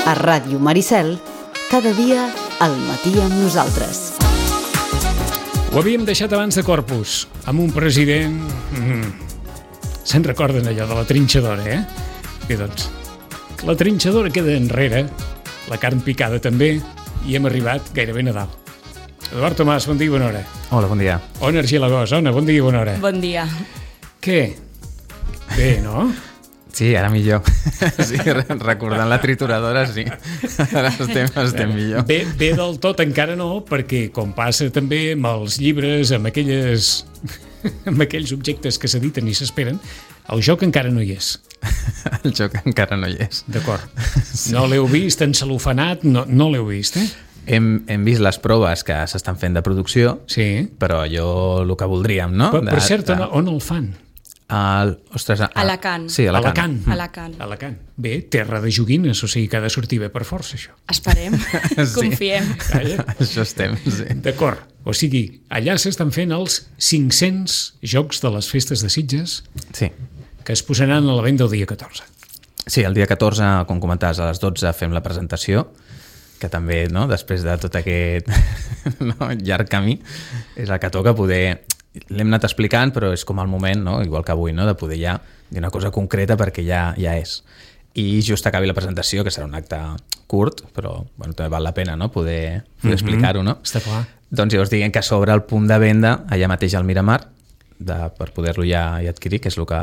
A Ràdio Maricel, cada dia al matí amb nosaltres. Ho havíem deixat abans de Corpus, amb un president... Se'n recorden allò de la trinxadora, Bé, doncs, la trinxadora queda enrere, la carn picada també, i hem arribat gairebé a Nadal. Eduard Tomàs, bon dia i bona hora. Hola, bon dia. Ona Argilagós, Ona, bon dia i bona hora. Bon dia. Què? Bé, no? Sí, ara millor. Sí, recordant la trituradora, sí. Ara estem millor. Bé del tot encara no, perquè com passa també amb els llibres, amb aquells objectes que s'editen i s'esperen, el joc encara no hi és. El joc encara no hi és. D'acord. Sí. No l'heu vist encelofanat, no l'heu vist, Hem vist les proves que s'estan fent de producció, sí. Però allò el que voldríem, no? Per cert, on el fan? Alacant. Sí, Alacant. Alacant. Bé, terra de joguines, o sigui que ha de sortir bé per força, això. Esperem, confiem. Això estem, sí. D'acord, o sigui, allà s'estan fent els 500 jocs de les festes de Sitges, sí, que es posaran a la venda el dia 14. Sí, el dia 14, com comentaves, a les 12 fem la presentació, que també, no, després de tot aquest llarg camí, és el que toca poder... L'hem anat explicant, però és com el moment, no? Igual que avui, no? De poder ja dir una cosa concreta perquè ja és. I just acabi la presentació, que serà un acte curt, però bueno, també val la pena, no? Poder explicar-ho, no? Està clar. Doncs llavors diguem que s'obre el punt de venda allà mateix al Miramar per poder-lo ja adquirir, que és el que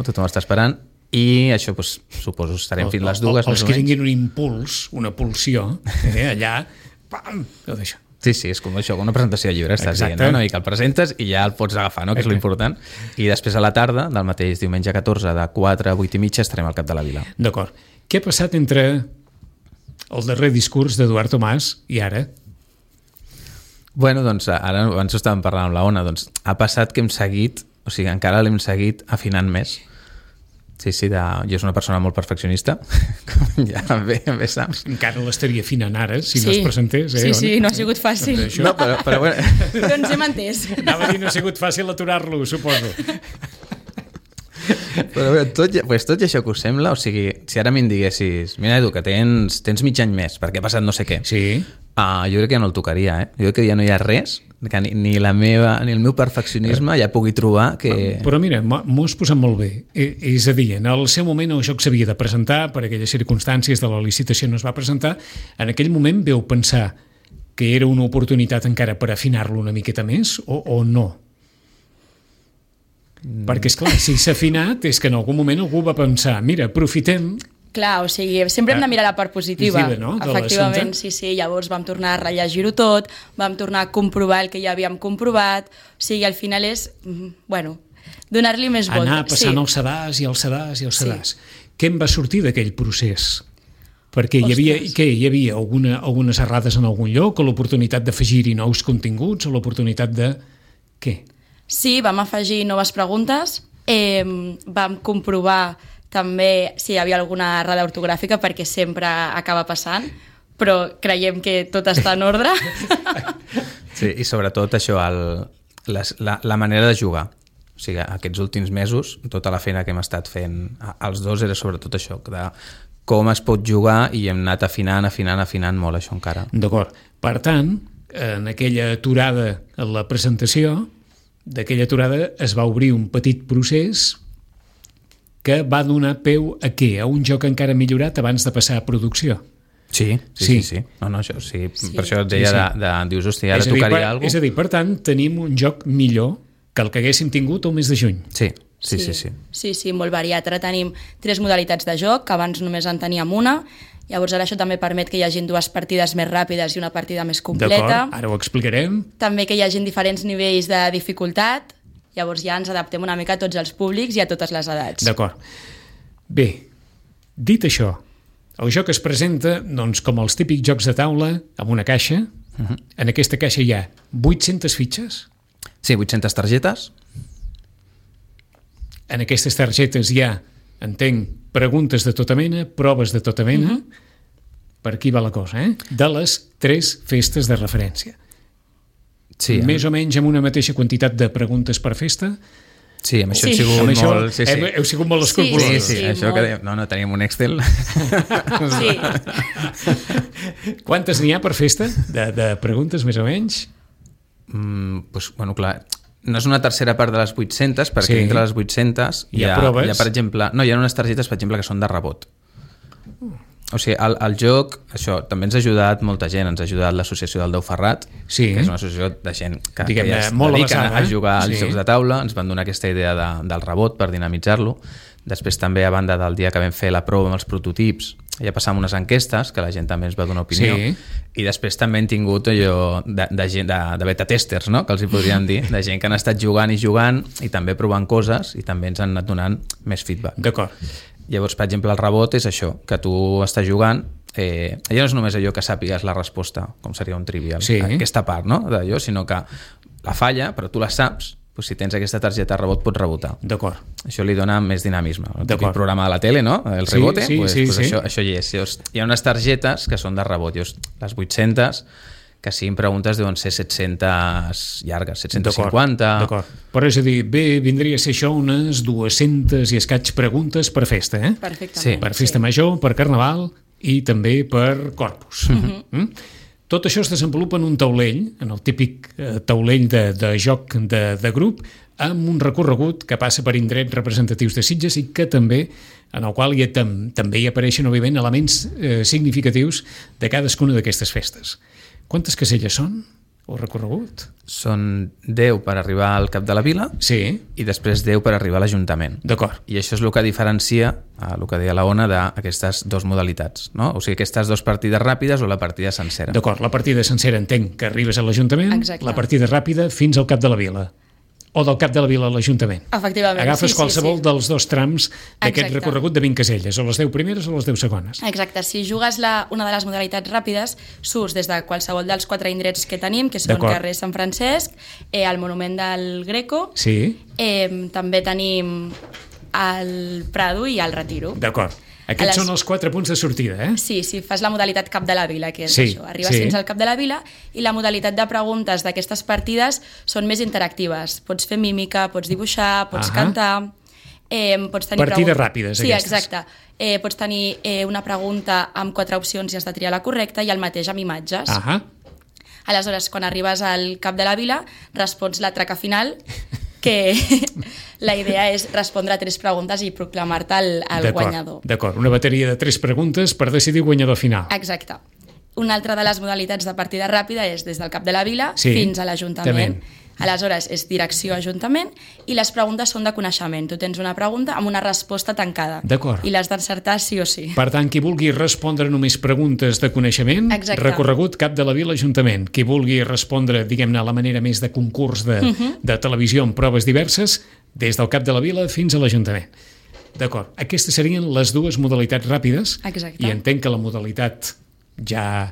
tothom està esperant. I això, suposo, estarem fins les dues. Els que tinguin un impuls, una pulsió, allà, pam, tot això. Sí, és com això, com una presentació de llibre, estàs dient, no? I que el presentes i ja el pots agafar, no? Que és l'important. I després a la tarda, del mateix diumenge 14, de 4 a 8 i mitja, estarem al Cap de la Vila. D'acord. Què ha passat entre el darrer discurs d'Eduard Tomàs i ara? Bueno, doncs, ara abans ho estàvem parlant amb la Ona, doncs ha passat que hem seguit, o sigui, encara l'hem seguit afinant més. Sí, jo soc una persona molt perfeccionista, com ja bé saps. Encara l'estaria afinant ara, si no es presentés. Sí, no ha sigut fàcil. No, però bueno. Però ens hem entès. Anava a dir, no ha sigut fàcil aturar-lo, suposo. Però bé, tot i això que us sembla, o sigui, si ara m'hi diguessis, mira, Edu, que tens mig any més, perquè ha passat no sé què. Sí. Jo crec que ja no el tocaria, Jo crec que ja no hi ha res, que ni el meu perfeccionisme ja pugui trobar que... Però mira, m'ho has posat molt bé. És a dir, en el seu moment el joc s'havia de presentar, per aquelles circumstàncies de la licitació no es va presentar, en aquell moment veu pensar que era una oportunitat encara per afinar-lo una miqueta més o no? Perquè, esclar, si s'ha afinat és que en algun moment algú va pensar, mira, aprofitem... Clar, o sigui, sempre hem de mirar la part positiva. No? Efectivament, sí, llavors vam tornar a rellegir-ho tot, vam tornar a comprovar el que ja havíem comprovat, o sigui, al final és, donar-li més voltes. Anar passant els sedars i els sedars i els sedars. Sí. Què en va sortir d'aquell procés? Perquè hi havia algunes errades en algun lloc, o l'oportunitat d'afegir-hi nous continguts, o l'oportunitat de... Què? Sí, vam afegir noves preguntes, vam comprovar també si hi havia alguna errada ortogràfica, perquè sempre acaba passant, però creiem que tot està en ordre. Sí, i sobretot això, la manera de jugar. O sigui, aquests últims mesos, tota la feina que hem estat fent els dos era sobretot això, de com es pot jugar, i hem anat afinant molt això encara. D'acord. Per tant, en aquella aturada en la presentació, d'aquella aturada es va obrir un petit procés que va donar peu a què? A un joc encara millorat abans de passar a producció. Sí. No, això sí. Per això et deia dius, hòstia, ara tocaria alguna cosa. És a dir, per tant, tenim un joc millor que el que haguéssim tingut el mes de juny. Sí, molt variat. Ara tenim 3 modalitats de joc, que abans només en teníem una. Llavors ara això també permet que hi hagin 2 partides més ràpides i una partida més completa. D'acord, ara ho explicarem. També que hi hagin diferents nivells de dificultat. Llavors ja ens adaptem una mica a tots els públics i a totes les edats. D'acord. Bé, dit això, el joc es presenta doncs, com els típics jocs de taula, amb una caixa. En aquesta caixa hi ha 800 fitxes. Sí, 800 targetes. En aquestes targetes hi ha, entenc, preguntes de tota mena, proves de tota mena. Per aquí va la cosa, de les 3 festes de referència. Sí, més o menys amb una mateixa quantitat de preguntes per festa. Sí, amb això Sí. hem sigut Amb això molt... Sí, sí. heu sigut molt Sí, escrupulosos. Sí, això molt. que dèiem. No, teníem un Excel. Sí. Quantes n'hi ha per festa? De preguntes, més o menys? Pues, bueno, clar, no és una tercera part de les 800, perquè Sí. dintre les 800 Hi ha proves? per exemple... No, hi ha unes targetes, per exemple, que són de rebot. O sigui, el joc, això, també ens ha ajudat molta gent. Ens ha ajudat l'associació del Déu Ferrat, Sí. que és una associació de gent que Diguem-ne, ja es molt dediquen avançada, a jugar als sí. jocs de taula. Ens van donar aquesta idea del rebot per dinamitzar-lo. Després també, a banda del dia que vam fer la prova amb els prototips, ja passàvem unes enquestes que la gent també ens va donar opinió. Sí. I després també hem tingut allò de gent de beta testers, no? Que els hi podríem dir, de gent que han estat jugant i també provant coses i també ens han anat donant més feedback. D'acord. Llavors, per exemple, el rebot és això, que tu estàs jugant, allò no és només allò que sàpigues la resposta, com seria un trivial, Sí. aquesta part, no?, d'allò, sinó que la falla, però tu la saps, doncs si tens aquesta targeta de rebot pots rebotar. D'acord. Això li dona més dinamisme. El típic D'acord. programa de la tele, no?, el Sí, rebote, sí, pues, sí, pues sí. Això hi és. Llavors, hi ha unes targetes que són de rebot. Llavors, les 800, que si em preguntes deuen ser 700 llargues, 750... D'acord. Però és a dir, bé, vindria a ser això unes 200 i escaig preguntes per festa, eh? Perfectament. Sí, Per festa major, per carnaval i també per Corpus. Tot això es desenvolupa en un taulell, en el típic taulell de joc de grup, amb un recorregut que passa per indrets representatius de Sitges i que també, en el qual també hi apareixen, òbviament, elements significatius de cadascuna d'aquestes festes. Quantes caselles són, el recorregut? Són 10 per arribar al cap de la vila Sí, i després 10 per arribar a l'Ajuntament. d'acord. I això és el que diferencia, el que deia la Ona, d'aquestes dues modalitats, no? O sigui, aquestes dues partides ràpides o la partida sencera. D'acord, la partida sencera entenc que arribes a l'Ajuntament, Exacte. la partida ràpida fins al cap de la vila. O del cap de la vila a l'Ajuntament. Efectivament, Agafes sí, qualsevol sí. dels dos trams d'aquest Exacte. recorregut de 20 caselles, o les 10 primeres o les 10 segones. Exacte, si jugues una de les modalitats ràpides, surts des de qualsevol dels 4 indrets que tenim, que són D'acord. carrer Sant Francesc, el monument del Greco, Sí, també tenim el Prado i el Retiro. d'acord. Aquests són els 4 punts de sortida, eh? Sí, sí, fas la modalitat cap de la vila, que és Sí, això, arribes sí. fins al cap de la vila, i la modalitat de preguntes d'aquestes partides són més interactives. Pots fer mímica, pots dibuixar, pots Ahà. cantar, pots tenir... Partides ràpides, sí, aquestes. exacte. Pots tenir una pregunta amb 4 opcions i has de triar la correcta, i el mateix amb imatges. Ahà. Aleshores, quan arribes al cap de la vila, respons la traca final, que la idea és respondre a 3 preguntes i proclamar-te el guanyador. D'acord, una bateria de 3 preguntes per decidir guanyador final. Exacte. Una altra de les modalitats de partida ràpida és des del cap de la vila Sí, fins a l'Ajuntament. també. Aleshores, és direcció a Ajuntament i les preguntes són de coneixement. Tu tens una pregunta amb una resposta tancada. D'acord. I l'has d'encertar sí o sí. Per tant, qui vulgui respondre només preguntes de coneixement, Exacte. recorregut cap de la vila Ajuntament. Qui vulgui respondre, diguem-ne, a la manera més de concurs de televisió amb proves diverses, des del cap de la vila fins a l'Ajuntament. D'acord. Aquestes serien les dues modalitats ràpides. Exacte. I entenc que la modalitat ja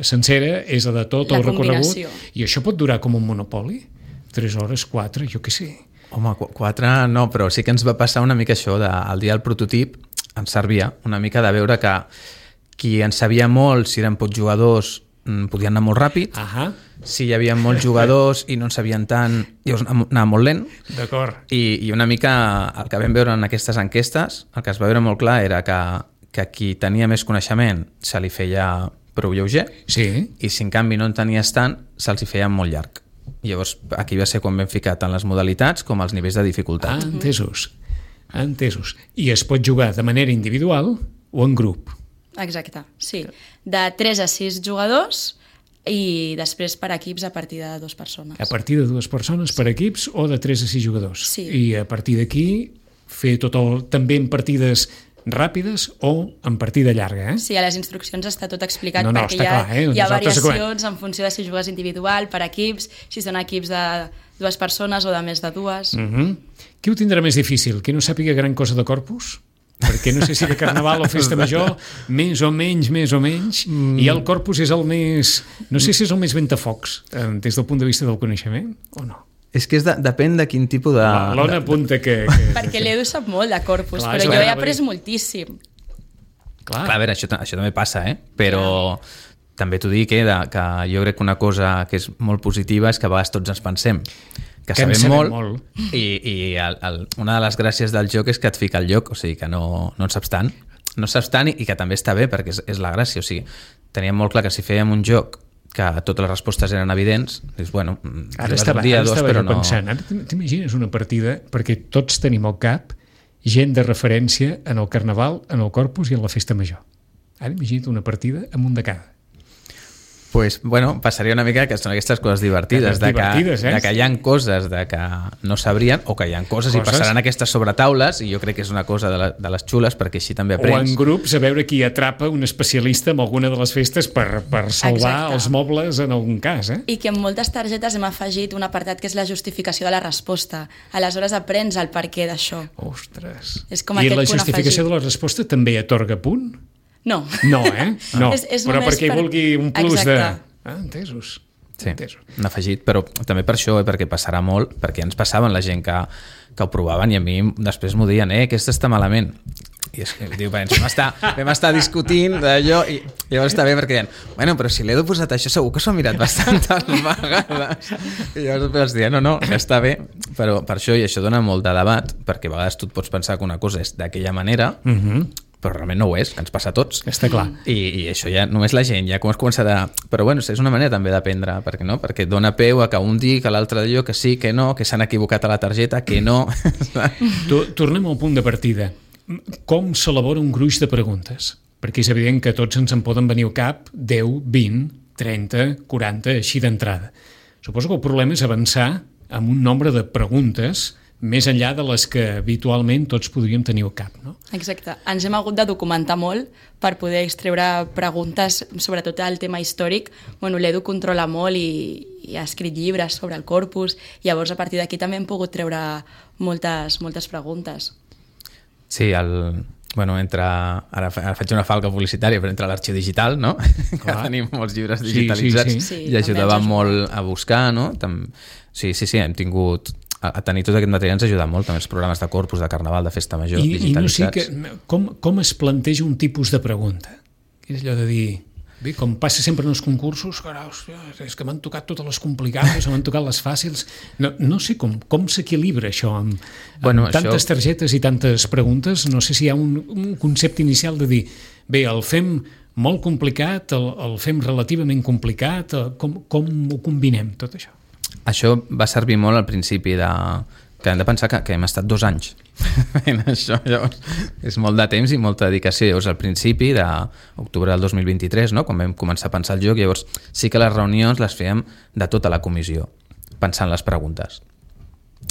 sencera és la de tot La el recorregut. combinació. I això pot durar com un monopoli? 3 hores, 4, jo què sé. Home, 4 no, però sí que ens va passar una mica això, el dia del prototip ens servia una mica de veure que qui en sabia molt, si eren pocs jugadors, podien anar molt ràpid, Ahà, si hi havia molts jugadors i no en sabien tant, llavors anava molt lent, d'acord. i una mica el que vam veure en aquestes enquestes, el que es va veure molt clar era que qui tenia més coneixement se li feia prou lleuger, Sí, i si en canvi no en tenies tant, se'ls hi feia molt llarg. Llavors, aquí va ser quan vam ficar tant les modalitats com els nivells de dificultat. entesos. Entesos. I es pot jugar de manera individual o en grup. Exacte, sí. De 3 a 6 jugadors i després per equips a partir de 2 persones. A partir de 2 persones per equips o de 3 a 6 jugadors. Sí. I a partir d'aquí fer també en partides ràpides o en partida llarga, eh? Sí, a les instruccions està tot explicat No, perquè està clar, hi ha Nosaltres variacions en funció de si jugues individual, per equips, si són equips de 2 persones o de més de 2. Qui ho tindrà més difícil? Qui no sàpiga gran cosa de Corpus? Perquè no sé si de Carnaval o Festa Major, més o menys, i el Corpus és el més... No sé si és el més ventafocs, des del punt de vista del coneixement, o no? És que depèn de quin tipus de... L'Ona apunta que... Perquè l'Edu sap molt de Corpus, Clar, però és jo he clar, après vull dir- moltíssim. Clar, a veure, això també passa, però també t'ho dic, que jo crec que una cosa que és molt positiva és que a vegades tots ens pensem que sabem molt. I una de les gràcies del joc és que et fica al lloc, o sigui que no en saps tant. No saps tant i que també està bé perquè és la gràcia. O sigui, teníem molt clar que si fèiem un joc que totes les respostes eren evidents, dius, bueno, ara estava pensant, ara t'imagines una partida, perquè tots tenim al cap gent de referència en el Carnaval, en el Corpus i en la Festa Major. Ara imagina't una partida amb un de cada. Pues, bueno, passaria una mica que són aquestes coses divertides, de que hi ha coses de que no sabrien o que hi ha coses i passaran aquestes sobretaules, i jo crec que és una cosa de les xules perquè així també aprens. O en grups a veure qui atrapa un especialista en alguna de les festes per salvar els mobles en algun cas. I que en moltes targetes hem afegit un apartat que és la justificació de la resposta. Aleshores aprens el perquè d'això. Ostres. I la justificació de la resposta també atorga punt? No. No, No. És però perquè vulgui un plus Exacte. Entesos. Sí, un afegit, però també per això, perquè passarà molt, perquè ens passaven la gent que ho provaven i a mi després m'ho deien, aquesta està malament. I és que diu, vam estar discutint d'allò i llavors està bé perquè deien, bueno, però si l'Edu posat això segur que s'ho ha mirat bastantes vegades. I llavors els deien, no, ja està bé, però per això, i això dona molt de debat, perquè a vegades tu et pots pensar que una cosa és d'aquella manera, però realment no ho és, que ens passa a tots. Està clar. I això ja només la gent, ja com es començarà... Però bueno, és una manera també d'aprendre, perquè dona peu a que un digui, que l'altre digui que sí, que no, que s'han equivocat a la targeta, que no... Tornem al punt de partida. Com s'elabora un gruix de preguntes? Perquè és evident que tots ens en poden venir al cap 10, 20, 30, 40, així d'entrada. Suposo que el problema és avançar amb un nombre de preguntes més enllà de les que habitualment tots podríem tenir al cap, no? Exacte. Ens hem hagut de documentar molt per poder extreure preguntes, sobretot al tema històric. Bueno, l'Edu controla molt i ha escrit llibres sobre el Corpus, i llavors a partir d'aquí també hem pogut treure moltes preguntes. Sí, ara faig una falca publicitària, però entre l'arxiu digital, no? Que tenim molts llibres digitalitzats i ajudava molt a buscar, no? Sí, hem tingut... A tenir tot aquest material ens ha ajudat molt, també els programes de Corpus, de Carnaval, de Festa Major, digitalitzats. I no sé com es planteja un tipus de pregunta? És allò de dir... Bé, com passa sempre en els concursos, carai, és que m'han tocat totes les complicades, m'han tocat les fàcils... No sé com s'equilibra això amb tantes targetes i tantes preguntes. No sé si hi ha un concepte inicial de dir, bé, el fem molt complicat, el fem relativament complicat, com ho combinem, tot això? Això va servir molt al principi que hem de pensar que hem estat 2 anys fent això, llavors és molt de temps i molta dedicació. Llavors al principi d'octubre del 2023, no? Quan vam començar a pensar el joc, llavors sí que les reunions les fèiem de tota la comissió, pensant les preguntes.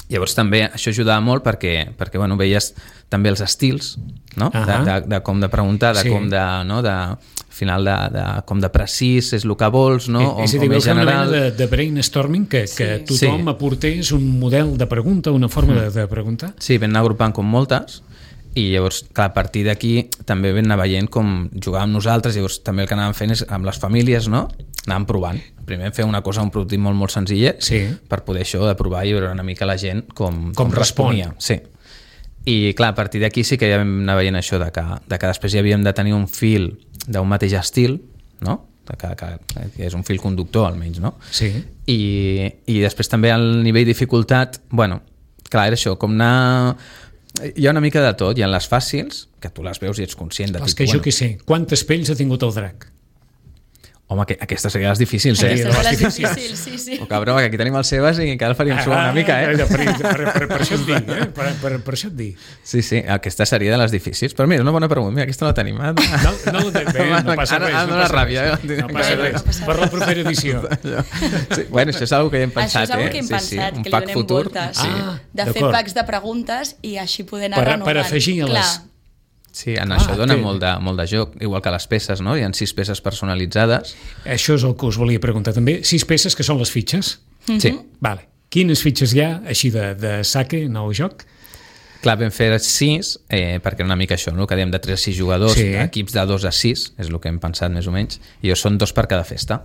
Llavors també això ajudava molt perquè bueno, veies també els estils, no? De com de preguntar, de com de... No? Al final com de precís és el que vols, no? És a dir, veus una mena de brainstorming que tothom aportés un model de pregunta, una forma de preguntar. Sí, vam anar agrupant com moltes i llavors, clar, a partir d'aquí també vam anar veient com jugàvem nosaltres, llavors també el que anàvem fent és amb les famílies, no? Anàvem provant. Primer fer una cosa, un prototip molt senzillet, per poder això de provar i veure una mica la gent com responia. Sí. I clar, a partir d'aquí sí que ja vam anar veient això de que després hi havíem de tenir un fil d'un mateix estil, no? Que és un fil conductor almenys, no? Sí. I després també al nivell de dificultat, bueno, clar, era això, com anar... Hi ha una mica de tot, hi ha les fàcils, que tu les veus i ets conscient de... Les que jo què sé, quantes pells ha tingut el drac? Home, aquestes series difícils, Aquestes difícils, sí. Oh, cabró, que aquí tenim els seves i encara el faríem suar una mica, Per això et dic, per això et dic. Sí, aquesta seria de les difícils. Però mira, una bona pregunta, mira, aquesta no la tenim. No passa res. No ràbia. No passa res. Per la propera edició. Bueno, això és una que hem pensat, Això és una que hem pensat, que li donem voltes. De fer packs de preguntes i així poder anar renovant. Per afegir-les. Sí, en això dona molt de joc, igual que les peces, no? Hi ha 6 peces personalitzades. Això és el que us volia preguntar també. 6 peces que són les fitxes? Sí. Vale. Quines fitxes hi ha, així de saque, nou joc? Clar, vam fer 6, perquè era una mica això, no? Que dèiem de 3 a 6 jugadors, equips de 2 a 6, és el que hem pensat més o menys, i són 2 per cada festa.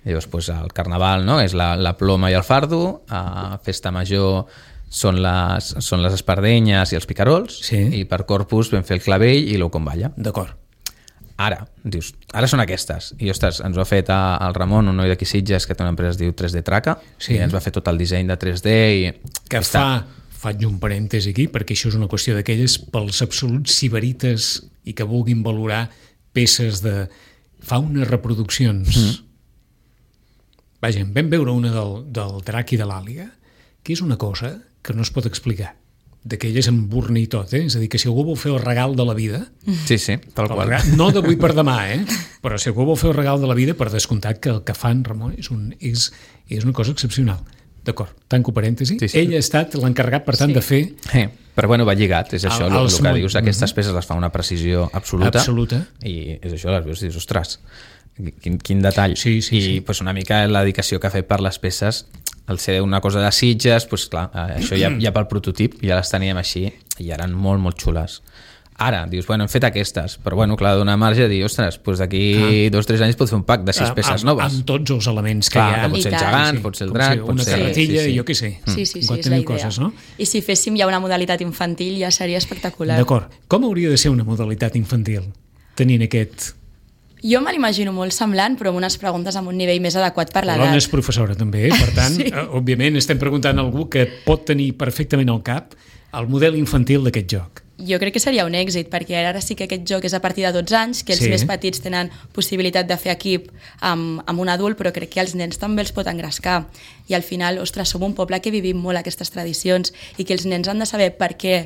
Llavors, el Carnaval, no? És la ploma i el fardo, a Festa Major són les espardenyes i els picarols, i per Corpus vam fer el clavell i l'ou con balla. D'acord. ara, dius, ara són aquestes. I, ostres, ens ho ha fet el Ramon, un noi d'aquí Sitges, que té una empresa que es diu 3D Traca, i ens va fer tot el disseny de 3D. Que faig un parèntesi aquí, perquè això és una qüestió d'aquelles pels absoluts sibarites i que vulguin valorar peces de... Fa unes reproduccions. Vaja, vam veure una del drac i de l'àliga, que és una cosa que no es pot explicar. D'aquelles amb burna i tot, És a dir, que si algú vol fer el regal de la vida... Sí, tal qual. No d'avui per demà, Però si algú vol fer el regal de la vida, per descomptat que el que fan, Ramon, és una cosa excepcional. D'acord, tanco parèntesi. Sí. Ell ha estat l'encarregat, per tant, de fer... Però bueno, va lligat, és això, el que dius, aquestes peces les fa una precisió absoluta. I és això, les veus i dius, ostres, quin detall. Sí. Pues, una mica la dedicació que ha fet per les peces, al ser una cosa de Sitges, pues, clar, això ja pel prototip, ja les teníem així, i eren molt, molt xules. Ara, dius, bueno, hem fet aquestes, però bueno, clar, donar marge a dir, ostres, doncs d'aquí 2 o 3 anys pot fer un pack de 6 peces noves. Amb tots els elements que hi ha. Que pot ser el gegant, pot ser el drac, una carretilla, jo què sé. Sí, és la idea. Coses, no? I si féssim ja una modalitat infantil ja seria espectacular. D'acord. Com hauria de ser una modalitat infantil, tenint aquest... Jo me l'imagino molt semblant, però amb unes preguntes amb un nivell més adequat per l'edat. L'Ona és professora també, per tant, òbviament estem preguntant a algú que pot tenir perfectament al cap el model infantil d'aquest joc. Jo crec que seria un èxit, perquè ara sí que aquest joc és a partir de 12 anys, que els més petits tenen possibilitat de fer equip amb un adult, però crec que els nens també els pot engrescar. I al final, ostres, som un poble que vivim molt aquestes tradicions i que els nens han de saber per què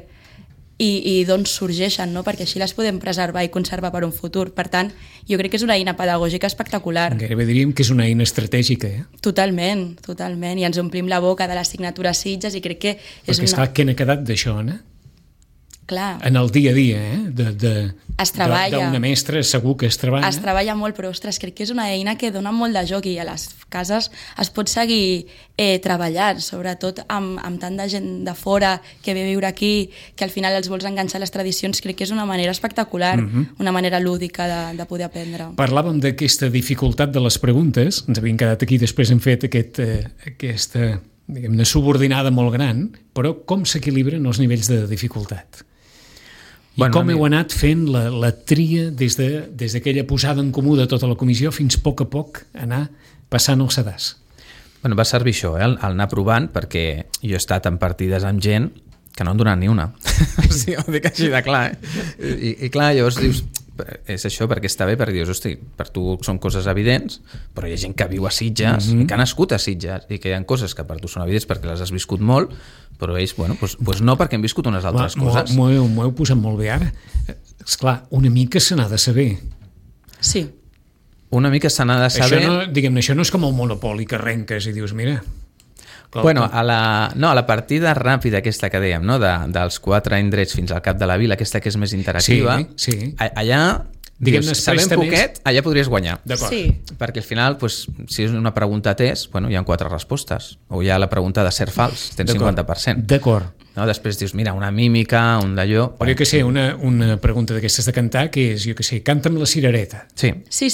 i d'on sorgeixen, no? Perquè així les podem preservar i conservar per un futur. Per tant, jo crec que és una eina pedagògica espectacular. Gairebé diríem que és una eina estratègica. Totalment. I ens omplim la boca de l'assignatura Sitges i crec que és perquè, esclar, què n'ha quedat d'això, Anna? Clar. En el dia a dia, es treballa. D'una mestra segur que es treballa. Es treballa molt, però ostres, crec que és una eina que dona molt de joc i a les cases es pot seguir treballant, sobretot amb tant de gent de fora que ve a viure aquí, que al final els vols enganxar a les tradicions. Crec que és una manera espectacular, una manera lúdica de poder aprendre. Parlàvem d'aquesta dificultat de les preguntes, ens havíem quedat aquí, després hem fet aquesta diguem-ne subordinada molt gran, però com s'equilibren els nivells de dificultat? I com heu anat fent la tria des d'aquella posada en comú de tota la comissió fins a poc anar passant el sedàs? Bueno, va servir això, el anar provant, perquè jo he estat en partides amb gent que no en donen ni una. Sí, ho dic així de clar. I clar, llavors dius, és això perquè està bé, perquè dius, hosti, per tu són coses evidents, però hi ha gent que viu a Sitges i que ha nascut a Sitges i que hi ha coses que per tu són evidents perquè les has viscut molt, però ells, bueno, doncs no, perquè hem viscut unes altres coses. M'ho heu posat molt bé ara. Esclar, una mica se n'ha de saber. Sí. Una mica se n'ha de saber... Això no és com el Monopoli que arrenques i dius, mira... Bueno, a la partida ràpida aquesta que dèiem, no? dels 4 indrets fins al cap de la vila, aquesta que és més interactiva, allà, dius, sabent poquet, allà podries guanyar. Sí. Perquè al final, si és una pregunta test, hi ha 4 respostes, o hi ha la pregunta de cert fals, tens 50%. D'acord. No? Després dius, mira, una mímica, un d'allò... Però jo què sé, una pregunta d'aquestes de cantar, que és, jo què sé, canta'm la cirereta. Sí, Sí?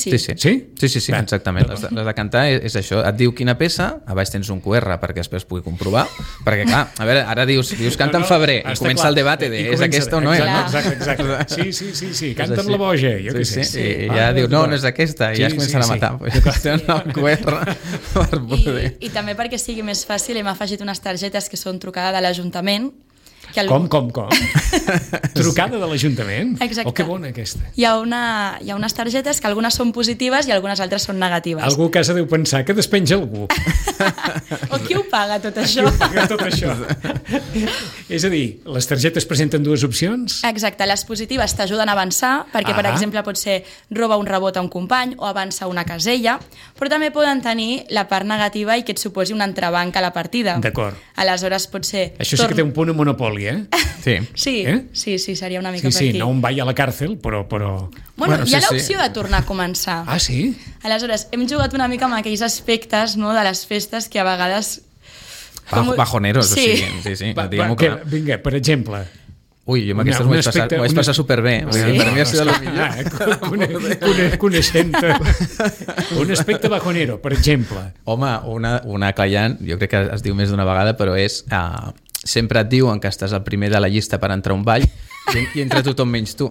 exactament. Les de cantar és això, et diu quina peça, a baix tens un QR perquè després pugui comprovar, perquè clar, a veure, ara dius canta en febrer, i comença el debat de és aquesta o no és, no? Exacte. Sí, canta'm la boja, jo què sé. I ja diu, no és aquesta, i ja es comencen a matar. Tenen el QR per poder... I també perquè sigui més fàcil hem afegit unes targetes que són trucada de l'Ajuntament. Com? Trucada de l'Ajuntament? Exacte. Que bona aquesta. Hi ha unes targetes que algunes són positives i algunes altres són negatives. Algú a casa deu pensar que despenja algú. O qui ho paga tot això? És a dir, les targetes presenten 2 opcions? Exacte, les positives t'ajuden a avançar, perquè per exemple pot ser roba un rebot a un company o avança una casella, però també poden tenir la part negativa i que et suposi un entrebanc a la partida. D'acord. Aleshores pot ser... Això sí que té un punt a Monopoli. Sí, seria una mica per aquí. Sí, no un ball a la càrcel, però... Bueno, hi ha l'opció de tornar a començar. Ah, sí? Aleshores, hem jugat una mica amb aquells aspectes, no, de les festes que a vegades... Bajoneros, sí. Sí. Vinga, per exemple... Ui, jo amb aquestes m'ho vaig passar superbé. Per mi ha sigut el millor. Coneixent-te. Un aspecte bajonero, per exemple. Home, una callant, jo crec que es diu més d'una vegada, però és... sempre et diuen que estàs al primer de la llista per entrar a un ball I entre tothom menys tu.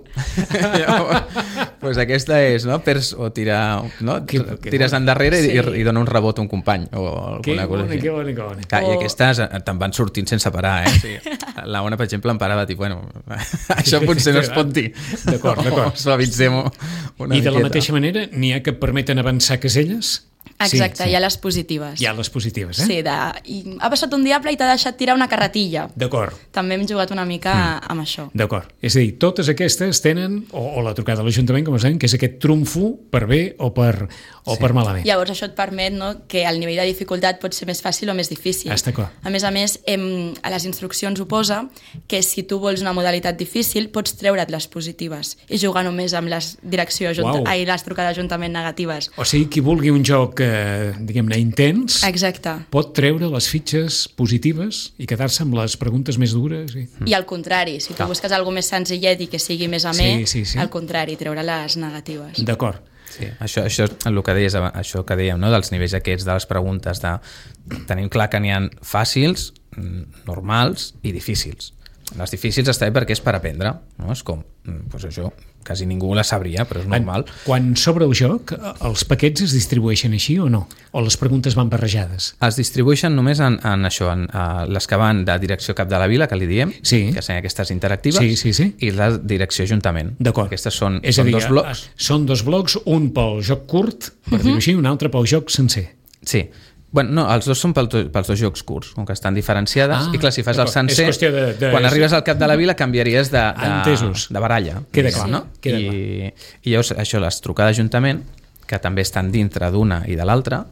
Pues aquesta és, no? Perds o tirar, no? Tires endarrere i dona un rebot a un company o alguna cosa així. Que bona. I aquestes te'n van sortint sense parar, Sí. La Ona, per exemple, em parava dir, bueno, això potser no es pot dir. D'acord. Suavitzem-ho una miqueta. I de la mateixa manera, n'hi ha que permeten avançar caselles? Exacte, hi ha les positives. Hi ha les positives, Sí, i ha passat un diable i t'ha deixat tirar una carretilla. D'acord. També hem jugat una mica amb això. D'acord. És a dir, totes aquestes tenen, o la trucada a l'Ajuntament, com es deien, que és aquest trumfo per bé o per malament. Llavors això et permet, no, que el nivell de dificultat pot ser més fàcil o més difícil. Està clar. A més, a les instruccions ho posa que si tu vols una modalitat difícil pots treure't les positives i jugar només amb les les trucades d'Ajuntament negatives. O sigui, qui vulgui un joc diguem-ne intens, exacte, pot treure les fitxes positives i quedar-se amb les preguntes més dures. I al contrari, si tu busques alguna més senzillet i que sigui més amè, al contrari, treure les negatives. D'acord. Sí, això és el que deies, això que dèiem, no? Dels nivells aquests de les preguntes, tenim clar que n'hi ha fàcils, normals i difícils. Les difícils està bé perquè és per aprendre, no? És com, doncs això, quasi ningú la sabria, però és normal. Quan s'obre el joc, els paquets es distribueixen així o no? O les preguntes van barrejades? Es distribueixen només en això, en les que van de direcció cap de la vila, que li diem, que són aquestes interactives, i la direcció ajuntament. D'acord. Aquestes són dos blocs. Són dos blocs, un pel joc curt, per dir-ho així, un altre pel joc sencer. Sí. Bueno, no, els dos són pels dos jocs curts, com que estan diferenciades, i clar, si fas el sencer, quan arribes al cap de la vila canviaries de baralla. Queda clar, no? I llavors, això, les trucades d'Ajuntament, que també estan dintre d'una i de l'altra,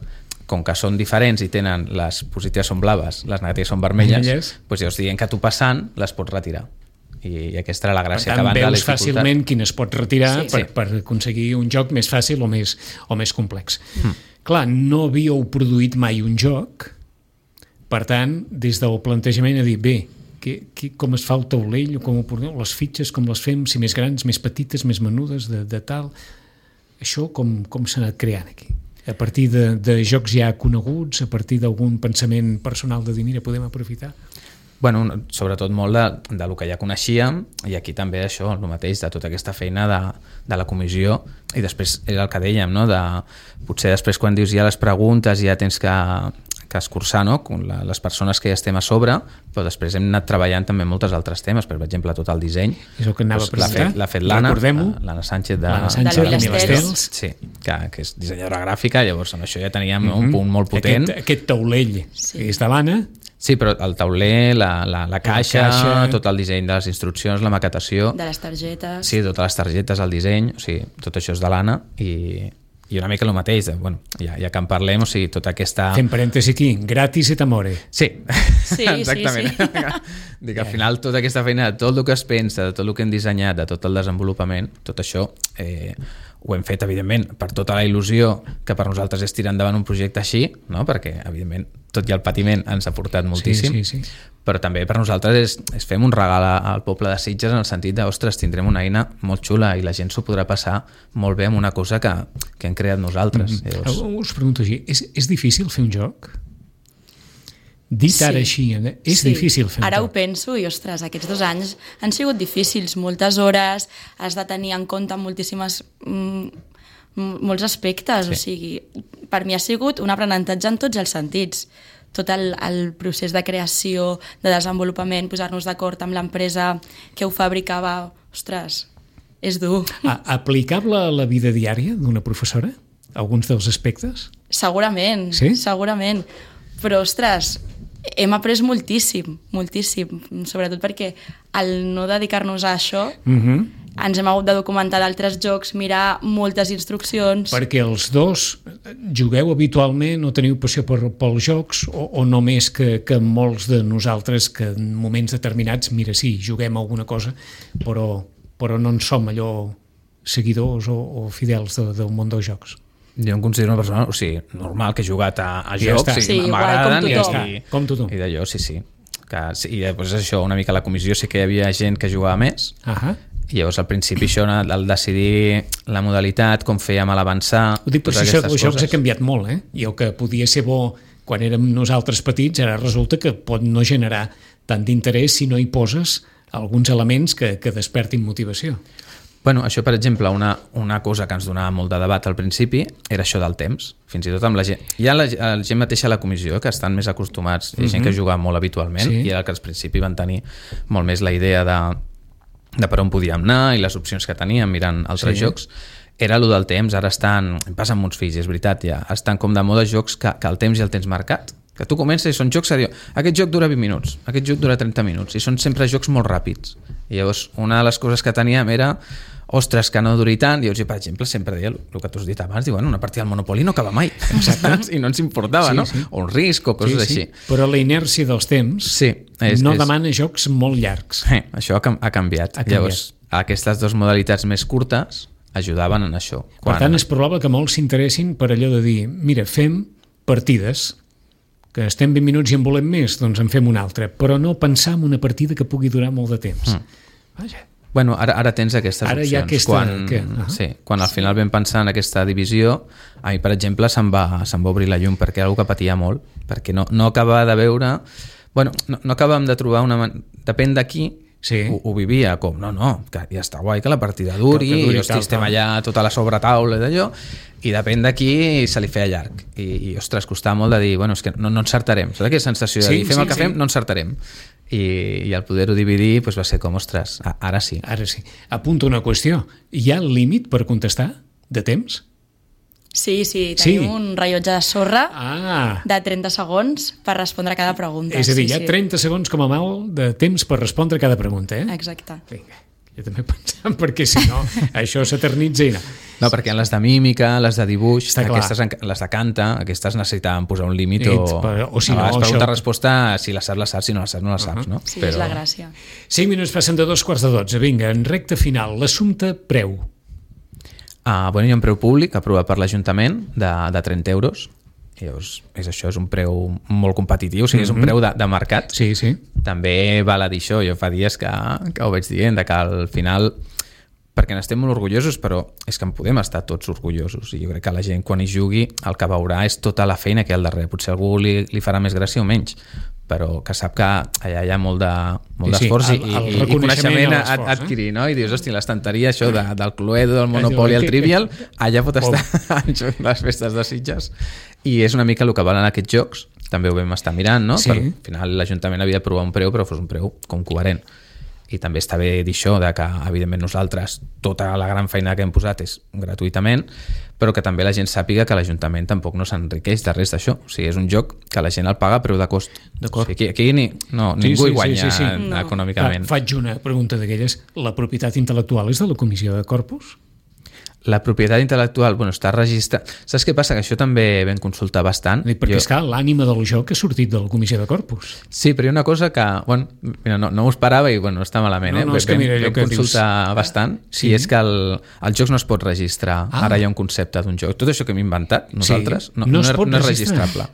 com que són diferents i tenen les positives són blaves, les negatives són vermelles, doncs llavors dient que tu passant les pots retirar. I aquesta era la gràcia. Per tant, veus fàcilment quin es pot retirar per aconseguir un joc més fàcil o més complex. Clar, no havíeu produït mai un joc, per tant, des del plantejament a dir, bé, com es fa el taulell, com ho porteu, les fitxes, com les fem, si més grans, més petites, més menudes, de tal... Això com s'ha anat creant aquí? A partir de jocs ja coneguts, a partir d'algun pensament personal de dir, mira, podem aprofitar? Bueno, sobretot molt de lo que ja coneixíem, i aquí també això, el mateix, de tota aquesta feina de la comissió, i després era el que dèiem, no? Potser després quan dius ja les preguntes ja tens que escurçar, no? Les persones que ja estem a sobre, però després hem anat treballant també moltes altres temes, per exemple tot el disseny. És el que anava a presentar. L'ha fet l'Anna Sánchez de Vilastels. Sí, que és dissenyadora gràfica, llavors amb això ja teníem un punt molt potent. Aquest taulell és de l'Anna. Sí, però el tauler, la caixa, tot el disseny de les instruccions, la maquetació... De les targetes... Sí, totes les targetes, el disseny, o sigui, tot això és de l'Anna i una mica el mateix, bueno, ja que en parlem, o sigui, tota aquesta... Fem parèntesi aquí, gratis et amore. Sí, exactament. Dic, al final tota aquesta feina de tot el que es pensa, de tot el que hem dissenyat, de tot el desenvolupament, tot això ho hem fet, evidentment, per tota la il·lusió que per nosaltres és tirar endavant un projecte així, no? Perquè, evidentment, tot i el patiment ens ha portat moltíssim, però també per nosaltres és fem un regal al poble de Sitges en el sentit de, ostres, tindrem una eina molt xula i la gent s'ho podrà passar molt bé amb una cosa que hem creat nosaltres. Llavors... Us pregunto així, és difícil fer un joc? Dit ara així, és difícil fer un joc. Ara ho penso i, ostres, aquests 2 anys han sigut difícils, moltes hores, has de tenir en compte molts aspectes, o sigui, per mi ha sigut un aprenentatge en tots els sentits. Tot el procés de creació, de desenvolupament, posar-nos d'acord amb l'empresa que ho fabricava, ostres, és dur. Aplicable a la vida diària d'una professora? Alguns dels aspectes? Segurament, segurament. Però, ostres, hem après moltíssim, sobretot perquè al no dedicar-nos a això ens hem hagut de documentar d'altres jocs, mirar moltes instruccions... Perquè els dos jugueu habitualment o teniu passió pels jocs o només que molts de nosaltres que en moments determinats, mira, sí, juguem alguna cosa, però no en som allò seguidors o fidels del món dels jocs? Jo em considero una persona, o sigui, normal, que he jugat a jocs, m'agraden com tothom. I d'allò, sí. I després això, una mica a la comissió sí que hi havia gent que jugava més, i llavors al principi això, al decidir la modalitat, com fèiem a l'avançar... Ho dic perquè això dels jocs ha canviat molt, i el que podia ser bo quan érem nosaltres petits, ara resulta que pot no generar tant d'interès si no hi poses alguns elements que despertin motivació. Bueno, això, per exemple, una cosa que ens donava molt de debat al principi era això del temps, fins i tot amb la gent. Hi ha la gent mateixa a la comissió que estan més acostumats, hi ha gent que juga molt habitualment, i era que al principi van tenir molt més la idea de per on podíem anar i les opcions que teníem mirant altres jocs. Era allò del temps, ara passa amb uns fills, és veritat, ja estan com de moda jocs que el temps ja el tens marcat, que tu comences i són jocs que diu, aquest joc dura 20 minuts, aquest joc dura 30 minuts, i són sempre jocs molt ràpids. I llavors, una de les coses que teníem era ostres, que no duri tant. I llavors, per exemple, sempre deia el que tu has dit abans, diuen, una partida del Monopoly no acaba mai. I no ens importava, no? O un risc o coses així. Però la inèrcia dels temps demana jocs molt llargs. Això ha canviat. Llavors, aquestes dues modalitats més curtes ajudaven en això. Per tant, és probable que molts s'interessin per allò de dir, mira, fem partides, que estem 20 minuts i en volem més, doncs en fem una altra, però no pensar en una partida que pugui durar molt de temps. Vaja. Bueno, ara tens aquestes opcions. Quan al final vam pensar en aquesta divisió, a mi, per exemple, se'm va obrir la llum perquè era una que patia molt, perquè no acabava de veure... Bueno, no acabàvem de trobar una... Depèn d'aquí, ho vivia com, que ja està guai que la partida duri, i estem allà tota la sobretaula i d'allò, i depèn d'aquí se li feia llarg. I ostres, costava molt de dir, bueno, és que no encertarem. Saps aquella sensació de dir, fem el que fem, no encertarem. I al poder-ho dividir va ser com, ostres, ara sí. Ara sí. Apunto una qüestió. Hi ha límit per contestar de temps? Sí, tenim un rellotge de sorra de 30 segons per respondre a cada pregunta. És a dir, hi ha 30 segons com a mal de temps per respondre a cada pregunta, eh? Exacte. Vinga, jo també pensava, perquè si no, això s'eternitza i no. No, perquè en les de mímica, les de dibuix, les de canta, aquestes necessitaven posar un límit o si no, pregunta-resposta, si la saps, si no la saps, no la saps, no? Sí, és la gràcia. 5 minuts passen de 2:45. Vinga, en recta final, l'assumpte preu. Bueno, hi ha un preu públic aprovat per l'Ajuntament de 30 euros. Llavors, és un preu molt competitiu, o sigui, és un preu de mercat. Sí. També val a dir això, jo fa dies que ho veig dient, que al final, perquè n'estem molt orgullosos, però és que en podem estar tots orgullosos, i jo crec que la gent quan hi jugui el que veurà és tota la feina que hi ha al darrere. Potser algú li farà més gràcia o menys, però que sap que allà hi ha molt d'esforç i coneixement a adquirir, no? I dius, hosti, l'estanteria, això del Cluedo, del Monopoly, el Trivial, allà pot estar en les festes de Sitges. I és una mica el que valen aquests jocs, també ho vam estar mirant, no? Al final l'Ajuntament havia d'aprovar un preu, però fos un preu com coherent. I també està bé dir això, que evidentment nosaltres tota la gran feina que hem posat és gratuïtament, però que també la gent sàpiga que l'Ajuntament tampoc no s'enriqueix de res d'això. O sigui, és un joc que la gent el paga a preu de cost. D'acord. O sigui, aquí ningú hi guanya econòmicament. Faig una pregunta d'aquelles. La propietat intel·lectual és de la Comissió de Corpus? La propietat intel·lectual, està registrada. Saps què passa? Que això també vam consultar bastant. Perquè és que l'ànima del joc ha sortit de la Comissió de Corpus. Sí, però hi ha una cosa que, no m'ho esperava i està malament. Vam consultar bastant. Sí, és que el joc no es pot registrar. Ara hi ha un concepte d'un joc. Tot això que hem inventat nosaltres no és registrable.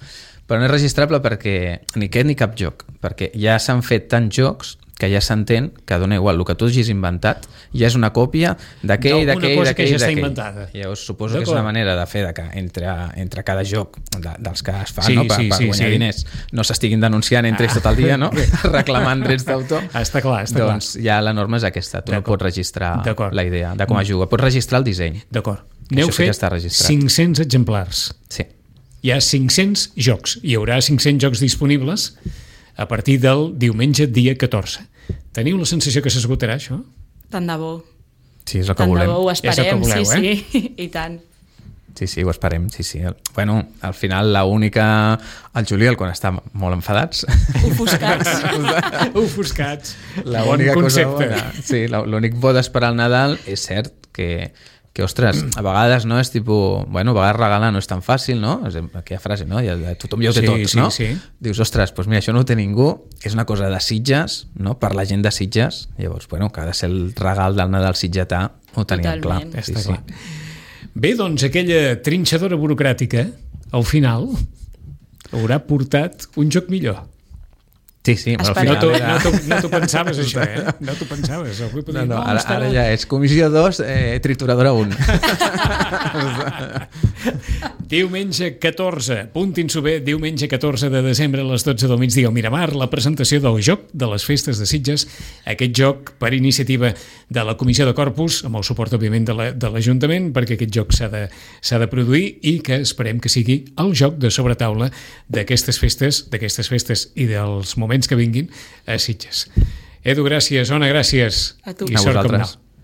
Però no és registrable perquè ni aquest ni cap joc. Perquè ja s'han fet tants jocs que ja s'entén que dona igual, el que tu hagis inventat ja és una còpia d'aquell. Llavors suposo que és una manera de fer que entre cada joc dels que es fan per guanyar diners no s'estiguin denunciant entre ells tot el dia, reclamant drets d'autor. Està clar. Doncs ja la norma és aquesta, tu no pots registrar la idea de com es juga, pots registrar el disseny. D'acord. N'heu fet 500 exemplars. Sí. Hi ha 500 jocs, hi haurà 500 jocs disponibles a partir del diumenge dia 14. Teniu la sensació que s'esgotarà això? Tant de bo. Sí, és el que volem. Tant de bo ho esperem, sí, i tant. Sí, ho esperem, sí. Bueno, al final l'única... El juliol, quan està molt enfadats... Ofuscats. Bon concepte. Sí, l'únic bo d'esperar el Nadal és cert que ostres, a vegades no és tipus... a vegades regalar no és tan fàcil, no? Aquella frase, no? Tothom ja ho té tot, no? Sí. Dius, ostres, doncs mira, això no ho té ningú, és una cosa de Sitges, no? Per la gent de Sitges, llavors, que ha de ser el regal del Nadal sitgetà, ho tenim clar. Està clar. Bé, doncs aquella trinxadora burocràtica, al final, haurà portat un joc millor. Sí, però al final... No t'ho pensaves, això, eh? No t'ho pensaves. Ara ja és Comissió 2, trituradora 1. Diumenge 14, puntin-s'ho bé, diumenge 14 de desembre a les 12 del migdia al Miramar, la presentació del Joc de les Festes de Sitges, aquest joc per iniciativa de la Comissió de Corpus, amb el suport, òbviament, de l'Ajuntament, perquè aquest joc s'ha de produir i que esperem que sigui el joc de sobretaula d'aquestes festes i dels moments que vinguin a Sitges. Edu, gràcies. Ona, gràcies. A tu. I A sort com vosaltres. no.